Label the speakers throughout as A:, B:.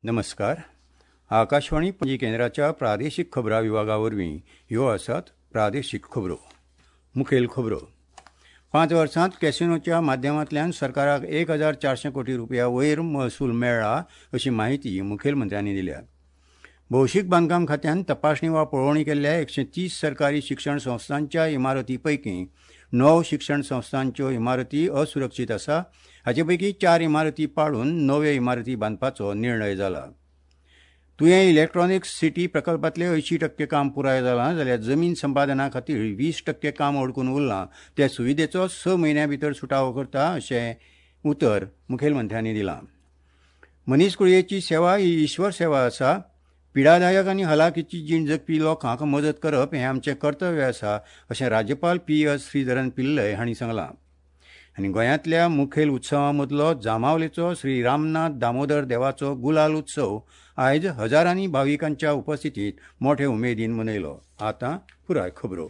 A: नमस्कार. आकाशवाणी पणजी केंद्राच्या प्रादेशीक खबरां विभागा वरवीं ह्यो आसात प्रादेशीक खबरो. मुखेल खबरो. 5 वर्सांत कॅसिनोच्या माध्यमांतल्यान सरकाराक 1400 कोटी रुपया वयर महसूल मेळ्ळा अशी माहिती मुखेलमंत्र्यांनी दिल्या. भौशीक बांदकाम खात्यान तपासणी वा पळोवणी केल्ल्या 130 सरकारी शिक्षण संस्थांच्या इमारती पैकी 9 शिक्षण संस्थांच्यो इमारती असुरक्षीत आसा. हाचे पैकी 4 इमारती पाडून नव्यो इमारती बांदपाचो निर्णय जाला. तुयें इलेक्ट्रॉनिक्स सिटी प्रकल्पांतले 80% काम पुराय जालां, जाल्यार जमीन संपादना खातीर 20% काम अडकून उरलां. ते सुविधेचो 6 म्हयन्यां भितर सुटावो करता अशें उतर मुखेलमंत्र्यांनी दिलां. मनीसकुळयेची सेवा ही ईश्वर सेवा आसा. पिडादायक आनी हलाखीची जीण जगपी लोकांक मदत करप हें आमचें कर्तव्य आसा अशें राज्यपाल पी.एस. श्रीधरन पिल्लय हांणी सांगलां. आनी गोंयांतल्या मुखेल उत्सवां मदलो जांबावलेचो श्री रामनाथ दामोदर देवाचो गुलाल उत्सव आयज हजारांनी भाविकांच्या उपस्थितीत मोठे उमेदीन मनयलो. आतां पुराय खबरो.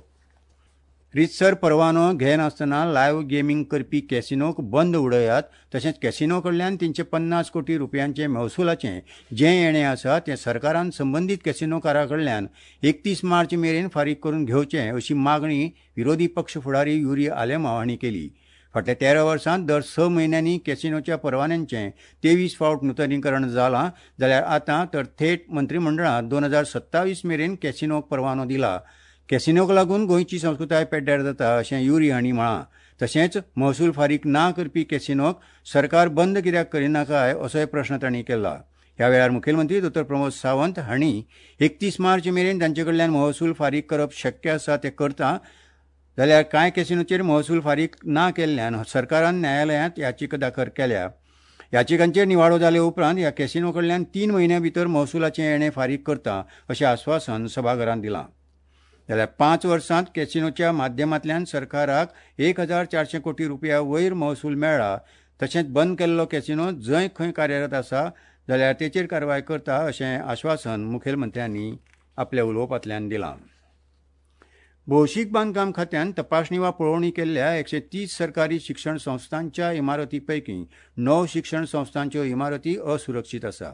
A: रितसर परवानो घेनासतना लायव्ह गेमींग करपी कॅसिनोक बंद उडयात, तशेंच कॅसिनो कडल्यान 350 कोटी रुपयांचे महसुलाचें जें येणें आसा तें सरकारान संबंदीत कॅसिनोकारा कडल्यान 31 मार्च मेरेन फारीक करून घेवचें अशी मागणी विरोधी पक्ष फुडारी युरी आलेमाव हांणी केली. फाटल्या 13 वर्सांत दर 6 म्हयन्यांनी कॅसिनोच्या परवान्यांचें 23 फावट नुतनीकरण जालां, जाल्यार आतां तर थेट मंत्रिमंडळान 2027 मेरेन कॅसिनोक परवानो दिला. कॅसिनोक लागून गोंयची संस्कृताय पेड्ड्यार जाता अशें युरी हांणी म्हळां. तशेंच महसूल फारीक ना करपी कॅसिनोक सरकार बंद कित्याक करिना काय असोय प्रश्न तांणी केला. ह्या वेळार मुखेलमंत्री डॉ. प्रमोद सावंत हांणी 31 मार्च मेरेन तांचे कडल्यान महसूल फारीक करप शक्य आसा तें करता, जाल्यार कांय कॅसिनोचेर महसूल फारीक ना केल्ल्यान सरकारान न्यायालयांत याचिका दाखल केल्या. याचिकांचेर निवाडो जाले उपरांत ह्या कॅसिनो कडल्यान 3 म्हयन्यां भितर महसुलाचें येणें फारीक करता अशें आस्वासन सभाघरान दिलां. जाल्यार 5 वर्सांत कॅसिनोच्या माध्यमांतल्यान सरकाराक 1400 कोटी रुपया वयर महसूल मेळ्ळा. तशेंच बंद केल्लो कॅसिनो जंय खंय कार्यरत आसा जाल्यार तेचेर कारवाय करता अशें आश्वासन मुखेलमंत्र्यांनी आपल्या उलोवपांतल्यान दिलां. भौशीक बांदकाम खात्यान तपासणी वा पळोवणी केल्ल्या 130 सरकारी शिक्षण संस्थांच्या इमारती पैकी 9 शिक्षण संस्थांच्यो इमारती असुरक्षीत आसा.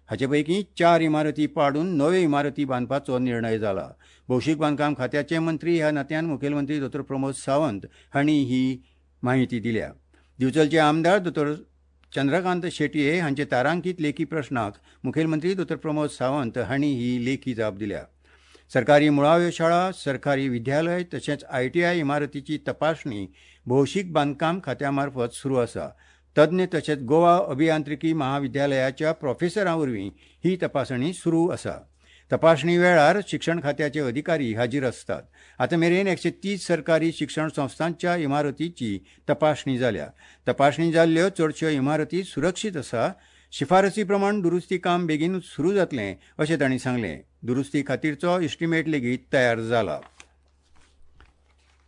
A: हाचे पैकी 4 इमारती पाडून नव्यो इमारती बांदपाचो निर्णय जाला. भौशीक बांदकाम खात्याचे मंत्री ह्या नात्यान मुखेलमंत्री डॉ. प्रमोद सावंत हांणी ही माहिती दिल्या. दिवचलचे आमदार डॉ. चंद्रकांत शेटये हांचे तारांकीत लेखी प्रश्नाक मुखेलमंत्री डॉ. प्रमोद सावंत हांणी ही लेखी जाप दिल्या. सरकारी मुळाव्यो शाळा, सरकारी विद्यालय तशेंच ITI इमारतीची तपासणी भौशीक बांदकाम खात्या मार्फत सुरू आसा. तज्ञ तशेंच गोवा अभियांत्रिकी महाविद्यालयाच्या प्रोफेसरां वरवीं ही तपासणी सुरू आसा. तपासणी वेळार शिक्षण खात्याचे अधिकारी हाजीर आसतात. आतां मेरेन 130 सरकारी शिक्षण संस्थांच्या इमारतीची तपासणी जाल्या. तपासणी जाल्ल्यो चडश्यो इमारती सुरक्षीत आसा. शिफारसी प्रमाण दुरुस्ती काम बेगीन सुरू जातलें अशें तांणी सांगलें. दुरुस्ती खातीरचो इस्टिमेट लेगीत तयार जाला.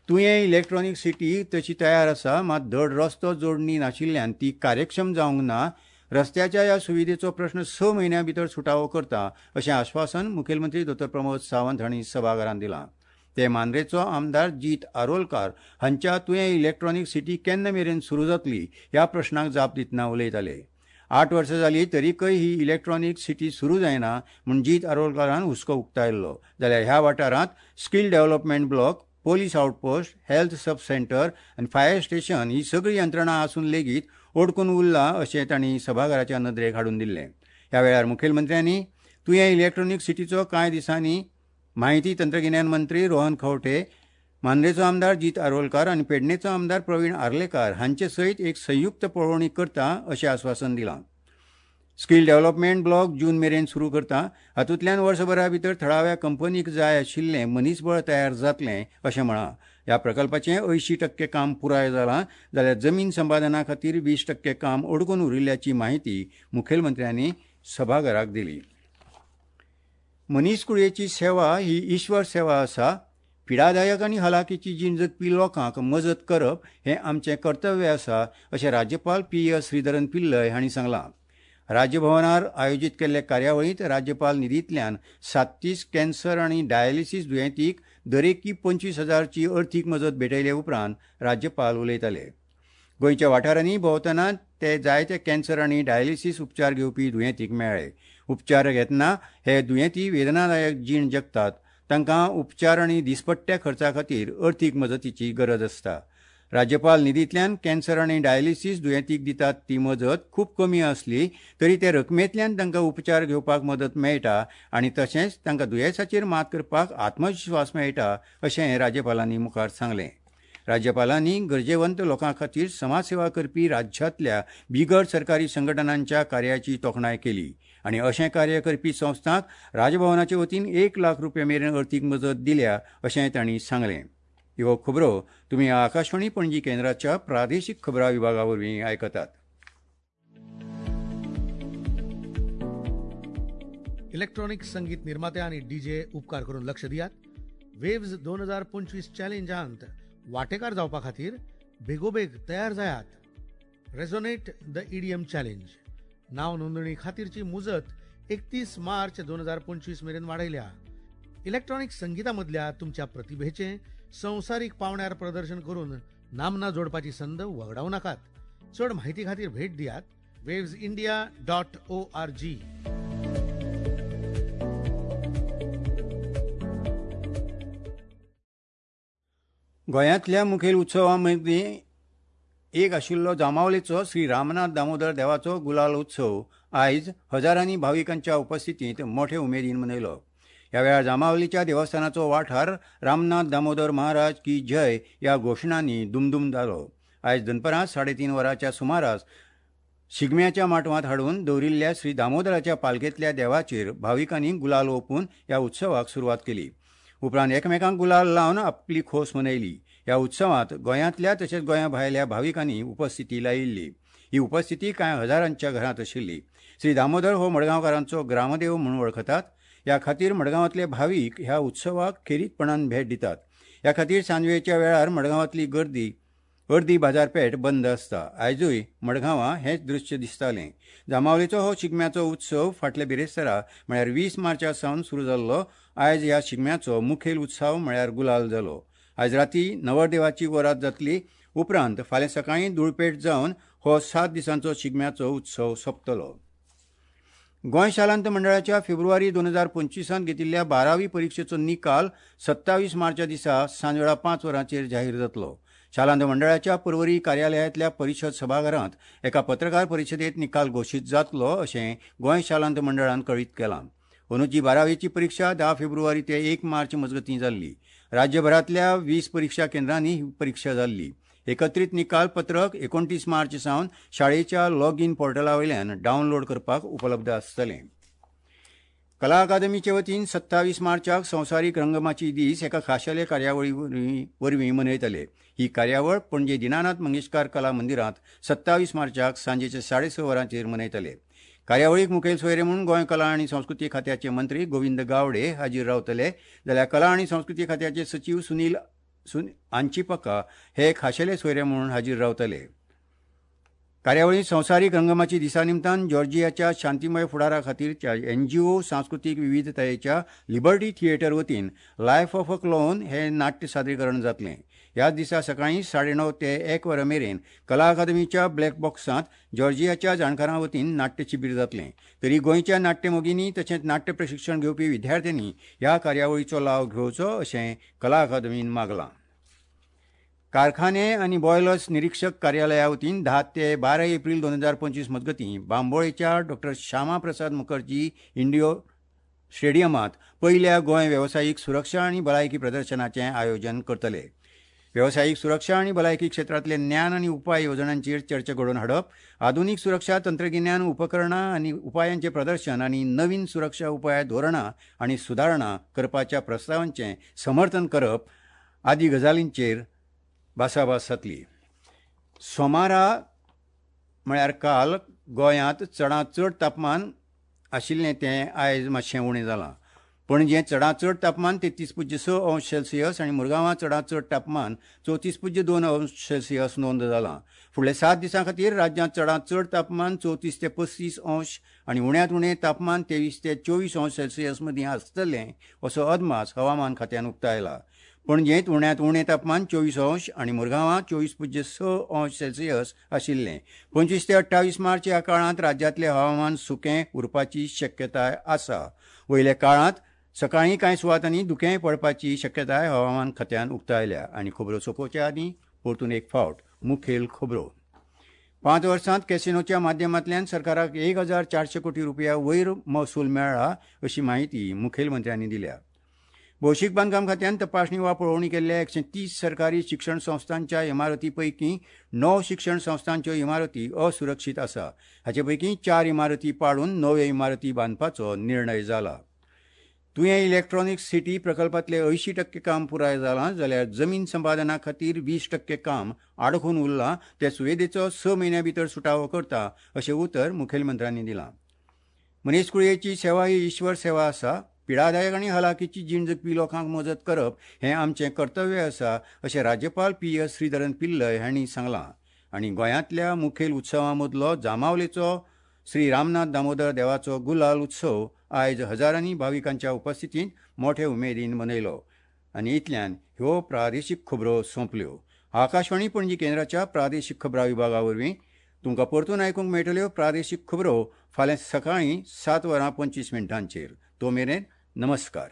A: तुयें इलेक्ट्रॉनिक सिटी तशी तयार आसा, मात धड रस्तो जोडणी नाशिल्ल्यान ती कार्यक्षम जावंक ना. रस्त्याच्या ह्या सुविधेचो प्रश्न 6 म्हयन्यां भितर सुटावो करता अशें आश्वासन मुखेलमंत्री डॉ. प्रमोद सावंत हांणी सभाघरांत दिलां. ते मांद्रेचो आमदार जीत आरोलकार हांच्या तुयें इलेक्ट्रॉनिक सिटी केन्ना मेरेन सुरू जातली ह्या प्रश्नाक जाप दितना उलयताले. 8 वर्सां जालीं तरीकय ही इलेक्ट्रॉनिक सिटी सुरू जायना म्हूण जीत आरोलकारान हुस्को उक्तायल्लो. जाल्यार ह्या वाठारांत skill development block, police outpost, health sub centre आनी फायर स्टेशन ही सगळी यंत्रणा आसून लेगीत ओडकून उरला अशें तांणी सभाघराच्या नदरेक हाडून दिल्लें. ह्या वेळार मुखेलमंत्र्यांनी तुयें इलेक्ट्रॉनिक सिटीचो कांय दिसांनी माहिती तंत्रगिन्यान मंत्री रोहन खंवटे, मांद्रेचो आमदार जीत आरोलकार आनी पेडणेचो आमदार प्रवीण आर्लेकार हांचे सयत एक संयुक्त पळोवणी करता अशें आस्वासन दिलां. स्किल डेव्हलपमेंट ब्लॉक जून मेरेन सुरू करता. हातूंतल्यान वर्सभरा भितर थळाव्या कंपनीक जाय आशिल्लें मनीसबळ तयार जातलें अशें म्हळां. ह्या प्रकल्पाचें 80% काम पुराय जालां, जाल्यार जमीन संपादना खातीर 20% काम अडकून उरिल्ल्याची माहिती मुखेलमंत्र्यांनी सभाघराक दिली. मनीसकुळयेची सेवा ही ईश्वर सेवा आसा. पिडादायक आनी हलाखीची जीण जगपी लोकांक मजत करप हें आमचें कर्तव्य आसा अशें राज्यपाल पी.एस. श्रीधरन पिल्लय हांणी सांगलां. राज्यभवनार आयोजीत केल्ले कार्यावळींत राज्यपाल निधींतल्यान 37 कॅन्सर आनी डायलिसीस दुयेंतीक दरेकी 25,000ची अर्थीक मजत भेटयले उपरांत राज्यपाल उलयताले. गोंयच्या वाठारांनी भोंवतना ते जायते कॅन्सर आनी डायलिसीस उपचार घेवपी दुयेंतीक मेळ्ळे. उपचार घेतना हे दुयेंती वेदनादायक जीण जगतात. तांकां उपचार आनी दिसपट्ट्या खर्चा खातीर अर्थीक मजतीची गरज आसता. राज्यपाल निधींतल्यान कॅन्सर आनी डायलिसीस दुयेंतीक दितात ती मजत खूब कमी आसली तरी ते रकमेंतल्यान तांकां उपचार घेवपाक मदत मेळटा आनी तशेंच तांकां दुयेंसाचेर मात करपाक आत्मविश्वास मेळटा अशें राज्यपालांनी मुखार सांगलें. राज्यपालांनी गरजेवंत लोकां खातीर समाजसेवा करपी राज्यांतल्या बिगर सरकारी संघटनांच्या कार्याची तोखणाय केली आनी अशें कार्य करपी संस्थांक राजभवनाचे वतीन 1 लाख रुपया मेरेन अर्थीक मजत दिल्या अशें तांणी सांगलें. ह्यो खबरो तुमी आकाशवाणी पणजी केंद्राच्या प्रादेशीक खबरां विभागा वरवीं आयकतात.
B: इलेक्ट्रॉनिक संगीत निर्माते आनी डीजे उपकार करून लक्ष दियात. वेव्ज 2025 चॅलेंजांत वांटेकार जावपा खातीर बेगोबेग तयार जायात. रेझोनेट the EDM challenge नाव नोंदणी खातीरची मुजत 31 मार्च 2025 मेरेन वाडयल्या. इलेक्ट्रॉनिक संगीता मदल्या तुमच्या प्रतिभेचें संवसारीक पावंड्यार प्रदर्शन करून नामना जोडपाची संद वगडावं नाकात. चड म्हायती खातीर भेट दियात wavesindia.org.
A: गोंयांतल्या मुखेल उत्सवां मदीं एक आशिल्लो जांबावलेचो श्री रामनाथ दामोदर देवाचो गुलाल उत्सव आयज हजारांनी भाविकांच्या उपस्थितींत मोठे उमेदीन मनयलो. ह्या वेळार जांबावलीच्या देवस्थानाचो वाठार रामनाथ दामोदर महाराज की जय ह्या घोशणांनी दुमदुम जालो. आयज दनपरां 3:30 वरांच्या सुमारास शिगम्याच्या माटवांत हाडून दवरिल्ल्या श्री दामोदराच्या पालखेंतल्या देवाचेर भाविकांनी गुलाल ओंपून ह्या उत्सवाक सुरवात केली. उपरांत एकमेकांक गुलाल लावन आपली खोस मनयली. ह्या उत्सवांत गोंयांतल्या तशेंच गोंया भायल्या भाविकांनी उपस्थिती लायिल्ली. ही उपस्थिती कांय हजारांच्या घरांत आशिल्ली. श्री दामोदर हो मडगांवकारांचो ग्रामदेव म्हणून वळखतात. ह्या खातीर मडगांवांतले भावीक ह्या उत्सवाक खेरीतपणान भेट दितात. ह्या खातीर सांजवेळच्या वेळार मडगांवांतली गर्दी अर्दी बाजारपेठ बंद आसता. आयजूय मडगांवां हेंच दृश्य दिसतालें. जांबावलेचो हो शिगम्याचो उत्सव फाटल्या बिरेस्तारा म्हळ्यार 20 मार्चा सावन सुरू जाल्लो. आयज ह्या शिगम्याचो मुखेल उत्सव म्हळ्यार गुलाल जालो. आयज राती नवरदेवाची वरात जातली. उपरांत फाल्यां सकाळीं धुळपेट जावन हो 7 दिसांचो शिगम्याचो उत्सव सोंपतलो. गोंय शालांत मंडळाच्या फेब्रुवारी 2025 घेतिल्ल्या 12वी परिक्षेचो निकाल 27 मार्चा दिसा सांजवेळा 5 वरांचेर जाहीर जातलो. शालांत मंडळाच्या पर्वरी कार्यालयांतल्या परिशद सभाघरांत एका पत्रकार परिशदेंत निकाल घोशीत जातलो अशें गोंय शालांत मंडळान कळीत केलां. अंदूची 12वीची परिक्षा 10 फेब्रुवारी ते 1 मार्च मजगतीं जाल्ली. राज्यभरांतल्या 20 परिक्षा केंद्रांनी ही परिक्षा जाल्ली. एकत्रीत निकाल पत्रक 29 मार्च सावन शाळेच्या लॉग इन पोर्टला वयल्यान डावनलोड करपाक उपलब्ध आसतलें. कला अकादमीचे वतीन 27 मार्चाक संवसारीक रंगमाची दीस एका खाशेले कार्यावळी वरवीं मनयतले. ही कार्यावळ पणजे दीनानाथ मंगेशकार कला मंदिरांत 27 मार्चाक सांजेच्या 6:30 वरांचेर मनयतले. कार्यावळीक मुखेल सोयरे म्हूण गोंय कला आनी संस्कृती खात्याचे मंत्री गोविंद गावडे हाजीर रावतले, जाल्यार कला आनी संस्कृती खात्याचे सचीव सुनील आंचिपका हे खाशेले सोयरे म्हणून हाजीर रावतले. कार्यावळींत संवसारीक रंगमाची दिसा निमतान जॉर्जियाच्या शांतिमय फुडारा खातीरच्या एनजीओ सांस्कृतीक विविधतायेच्या लिबर्टी थिएटर वतीन लायफ ऑफ अ क्लोन हे नाट्य सादरीकरण जातलें. ह्याच दिसा सकाळीं 9:30 ते 1 वरां मेरेन कला अकादमीच्या ब्लॅक बॉक्सांत जॉर्जियाच्या जाणकारां वतीन नाट्य शिबीर जातलें. तरी गोंयच्या नाट्यमोगींनी तशेंच नाट्य प्रशिक्षण घेवपी विद्यार्थ्यांनी ह्या कार्यावळीचो लाव घेवचो अशें कला अकादमीन मागलां. कारखाने आनी बॉयलर्स निरीक्षक कार्यालया वतीन 10 ते 12 एप्रील 2025 मजगतीं बांबोळेच्या डॉ. श्यामा प्रसाद मुखर्जी इंडियो स्टेडियमांत पयल्या गोंय वेवसायीक सुरक्षा आनी भलायकी प्रदर्शनाचें आयोजन करतले. वेवसायीक सुरक्षा आनी भलायकी क्षेत्रांतले ज्ञान आनी उपाय येवजणांचेर चर्चा घडोवन हाडप, आधुनीक सुरक्षा तंत्रगिन्यान उपकरणां आनी उपायांचें प्रदर्शन आनी नवीन सुरक्षा उपाय धोरणां आनी सुदारणा करपाच्या प्रस्तावांचें समर्थन करप आदी गजालींचेर भासाभास जातली. सोमारा म्हळ्यार काल गोंयांत चडांत चड तापमान आशिल्लें तें आयज मातशें उणें जालां. पणजे चडांत चड तापमान 33.6 अंश सेल्सियस आनी मुरगांवां चडांत चड तापमान 34.2 अंश सेल्सियस नोंद जालां. फुडल्या 7 दिसां खातीर राज्यांत चडांत चड तापमान 34 ते 35 अंश आनी उण्यांत उणें तापमान 23 ते 24 अंश सेल्सियस मदीं आसतलें असो अदमास हवामान खात्यान उक्तायला. पणजेंत उण्यांत उणें तापमान 24 अंश आनी मुरगांवां 24.6 अंश सेल्सियस आशिल्लें. 25 ते 28 मार्च ह्या काळांत राज्यांतलें हवामान सुकें उरपाची शक्यताय आसा. वयल्या काळांत सकाळीं कांय सुवातांनी धुकें पडपाची शक्यताय हवामान खात्यान उक्तायल्या. आनी खबरो सोंपोवच्या आदीं परतून एक फावट मुखेल खबरो. 5 वर्सांत कॅसिनोच्या माध्यमांतल्यान सरकाराक 1400 कोटी रुपया वयर महसूल मेळ्ळा अशी म्हायती मुखेलमंत्र्यांनी दिल्या. भौशीक बांदकाम खात्यान तपासणी वा पळोवणी केल्ल्या 130 सरकारी शिक्षण संस्थांच्या इमारती पैकी 9 शिक्षण संस्थांच्यो इमारती असुरक्षीत आसा. हाचे पैकी 4 इमारती पाडून नव्यो इमारती बांदपाचो निर्णय जाला. तुयें इलेक्ट्रॉनिक सिटी प्रकल्पांतले 80% काम पुराय जालां जाल्यार जमीन संपादना खातीर 20% काम आडखून उरलां. ते सुविधेचो 6 म्हयन्यां भितर सुटावो करता अशें उतर मुखेलमंत्र्यांनी दिलां. मनीसकुळयेची सेवा ही ईश्वर सेवा आसा. पिडादायक आनी हलाखीची जीण जगपी लोकांक मजत करप हें आमचें कर्तव्य आसा अशें राज्यपाल पी.एस. श्रीधरन पिल्लय हांणी सांगलां. आनी गोंयांतल्या मुखेल उत्सवां मदलो जांबावलेचो श्री रामनाथ दामोदर देवाचो गुलाल उत्सव आयज हजारांनी भाविकांच्या उपस्थितींत मोठे उमेदीन मनयलो. आनी इतल्यान ह्यो प्रादेशीक खबरो सोंपल्यो. आकाशवाणी पणजी केंद्राच्या प्रादेशीक खबरां विभागा वरवीं तुमकां परतून आयकूंक मेळटल्यो प्रादेशीक खबरो फाल्यां सकाळीं 7:25. तो मेरेन नमस्कार.